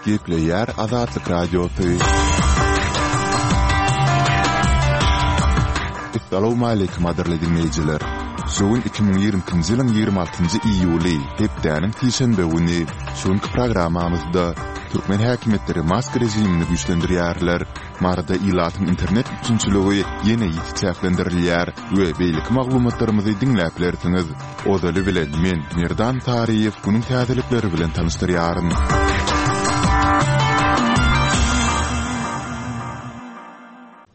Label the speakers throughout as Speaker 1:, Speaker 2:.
Speaker 1: Gepleýär Azatlyk Radiosy. Essalawmaleýkim gadyrly diňleýjiler! Şu gün 2022-nji ýylyň 26-njy iýuly, hepdäniň sişenbe güni. Şu günki programmamyzda türkmen häkimiýetleri maska režimini güýçlendirýärler. Maryda ilatyň internet üpjünçiligi ýene ýiti çäklendirilýär we beýleki maglumatlarymyzy diňläp bilersiňiz. Ozaly bilen men, Merdan Taryýew günüň täzelikleri bilen tanyşdyrýaryn.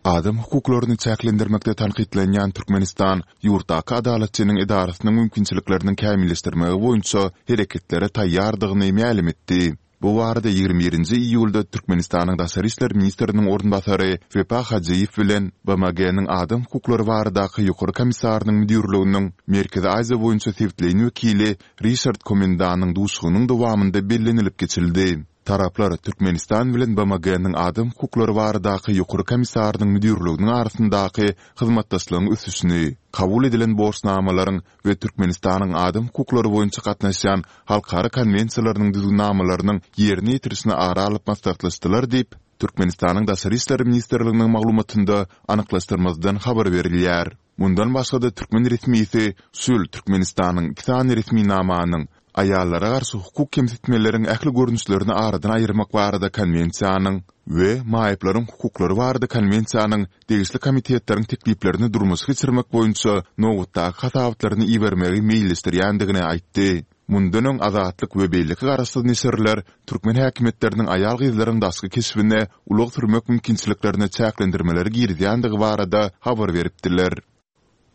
Speaker 1: Adam hukuklaryny çäklendirmekde tankytlanýan Türkmenistan ýurtdaky Adalatçynyň edarasynyň mümkinçilikleriniň kämilleşdirmegi boýunça hereketlere taýýardygyny mälim etdi. Bu barada 21 nji iýulda Türkmenistanyň daşary işler ministriniň orunbasary Wepa Hajyýew bilen BMG-niň Adam hukuklary baradaky Ýokary komissarynyň müdirliginiň Merkezi Aziýa boýunça sebitleýin wekili Rişard Komendanyň duşuşygynyň dowamynda bellenilip geçildi. Taraplar Türkmenistan bilen BMG-niň Adam hukuklary baradaky Ýokary komissarynyň müdirliginiň arasyndaky hyzmatdaşlygyň ösüşini, kabul edilen borçnamalaryň we Türkmenistanyň adam hukuklary boýunça gatnaşýan halkara konwensiýalarynyň düzgünnamalarynyň ýerine ýetirilişini ara alyp maslahatlaşdylar diýip, Türkmenistanyň Daşary işler ministrliginiň maglumatynda anyklaşdyrmazdan habar berilýär. Mundan başga-da türkmen resmisi şu ýyl Türkmenistanyň iki sany resminamanyň, Aýallara garşy hukuk kemsitmeleriň ähli görnüşlerini aradan aýyrmak barada Konwensiýanyň we Maýyplaryň hukuklary barada Konwensiýanyň degişli komitetleriň tekliplerini durmuşa geçirmek boýunça nobatdaky hasabatlaryny ibermegi meýilleşdirýändigini aýtdy. Mundan öň Azatlyk we beýleki garaşsyz neşirler türkmen häkimiýetleriniň aýal-gyzlaryň daşky keşbine ulag sürmek mümkinçiliklerine çäklendirmeleri girizýändigi barada habar beripdiler.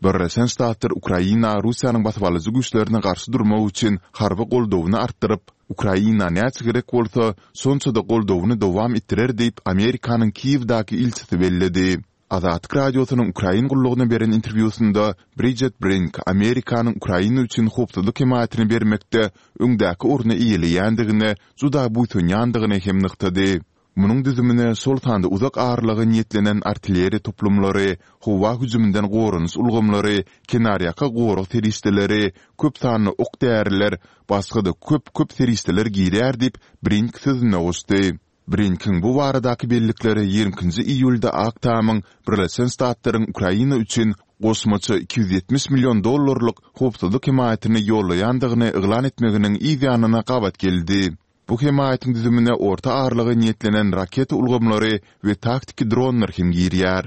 Speaker 1: Birleşen Ştatlar Ukraina Russiýanyň basybalyjy güýçlerine garşy durmak üçin harby goldawyny artdyryp, Ukraina näçe gerek bolsa, şonça-da goldawyny dowam etdirer diýip, Amerikanyň Kiýewdäki ilçisi belledi. Azatlyk Radiosynyň Ukrain gullugyna beren interwýusynda Bridjet Brink Amerikanyň Ukraina üçin howpsuzlyk hemaýatyny bermekde öňdäki orny eýeleýändigine juda buýsanýandygyny hem nygtady. Munuň düzümine şol sanda uzak aralyga niýetlenen artilleriýa toplumlary, howa hüjüminden goranyş ulgamlary, kenarýaka gorag serişdeleri, köp sanly ok-däriler, başga-da köp-köp serişdeler girýär diýip, Brink sözüne goşdy. Brinkiň bu baradaky bellikleri 22-nji iýulda Ak Tamyň Birleşen Ştatlaryň Ukraina üçin goşmaça 270 million dollarlyk howpsuzlyk hemaýatyny ýollaýandygyny yglan etmeginiň yz ýanyna gabat geldi. Bu hemaýatyň düzümine orta aralyga niýetlenen raketa ulgamlary we taktiki dronlar hem girýär.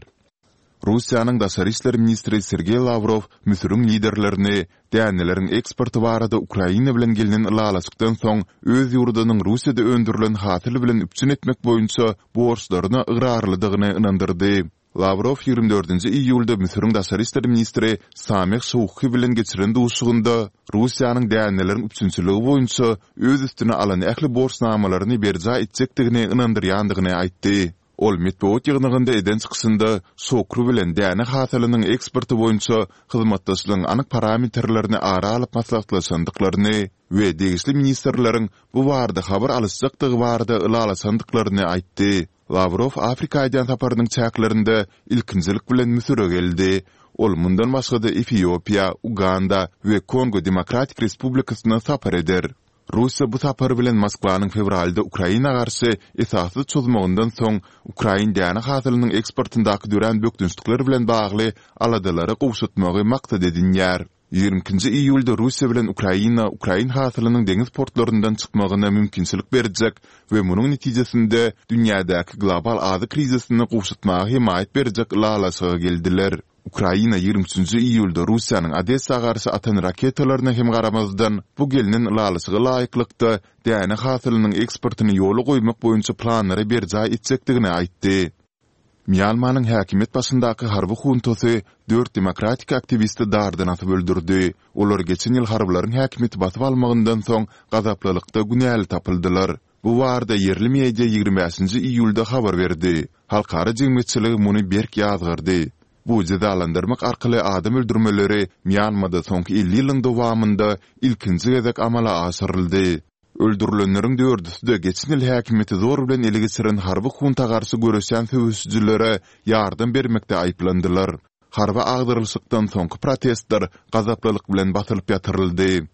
Speaker 1: Russiýanyň daşary işler ministri Sergeý Lawrow Müsüriň liderlerini däneleriň eksporty barada Ukraina bilen gelnen ylalaşykdan soň öz ýurdunyň Russiýada öndürilen hasyl bilen üpjün etmek boýunça borçlaryna ygrarlydygyny ynandyrdy. Lawrow 24 nji iýulda Müsüriň daşary işler ministri Sameh Şouki bilen geçiren duşuşygynda Russiýanyň däneleriň üpjünçiligi boýunça öz üstüne alan ähli borçnamalaryny berjaý etjekdigini ynandyrýandygyny aýtdy. Ol metbugat ýygnagynda eden çykyşynda Şokru bilen däne hasylynyň eksporty boýunça hyzmatdaşlygyň anyk parametrlerini ara alyp maslahatlaşandyklaryny we degişli ministrleriň bu barada habar alyşjakdygy barada ylalaşandyklaryny aýtdy. Lawrow Afrika edýän saparynyň çäklerinde ilkinjilik bilen Müsüre geldi. Ol mundan başga-da Efiopiýa, Uganda we Kongo Demokratik Respublikasyna sapar eder. Russiýa bu sapary bilen Moskwanyň fewralda Ukraina garşy esassyz çozmagyndan soň ukrain däne hasylynyň eksportyndaky dörän bökdençlikler bilen bagly aladalary gowşatmagy maksat edinýär. 22-nji iýulda Russiýa bilen Ukraina ukrain hasylynyň deňiz portlaryndan çykmagyna mümkinçilik berjek we munuň netijesinde dünýädäki global azyk krizisini gowşatmaga hemaýat berjek ylalaşyga geldiler. Ukraina 23-nji iýulda Russiýanyň Odessa garşy atan raketalaryna hem garamazdan, bu gelnen ylalaşyga laýyklykda däne hasylynyň eksportyny ýola goýmak boýunça planlary berjaý etjekdigini aýtdy. Mýanmanyň häkimiýet başyndaky harby huntasy dört demokratik aktiwisti dardan asyp öldürdi. Olar geçen ýyl harbylaryň häkimiýeti basyp almagyndan soň gazaplylykda günäli tapyldylar. Bu barada ýerli media 25 nji iýulda habar berdi. Halkara jemgyýetçiligi muny berk ýazgardy. Bu jezalandyrmak arkaly adam öldürmeleri Mýanmada soňky 50 ýylyň dowamynda ilkinji gezek amala aşyryldy. Öldürilenleriň dördüsi-de geçen ýyl häkimiýeti zor bilen ele geçiren harby hunta garşy göreşýän söweşijilere ýardam bermekde aýyplandylar. Harby agdarylyşykdan soňky protestler gazaplylyk bilen basylyp ýatyryldy.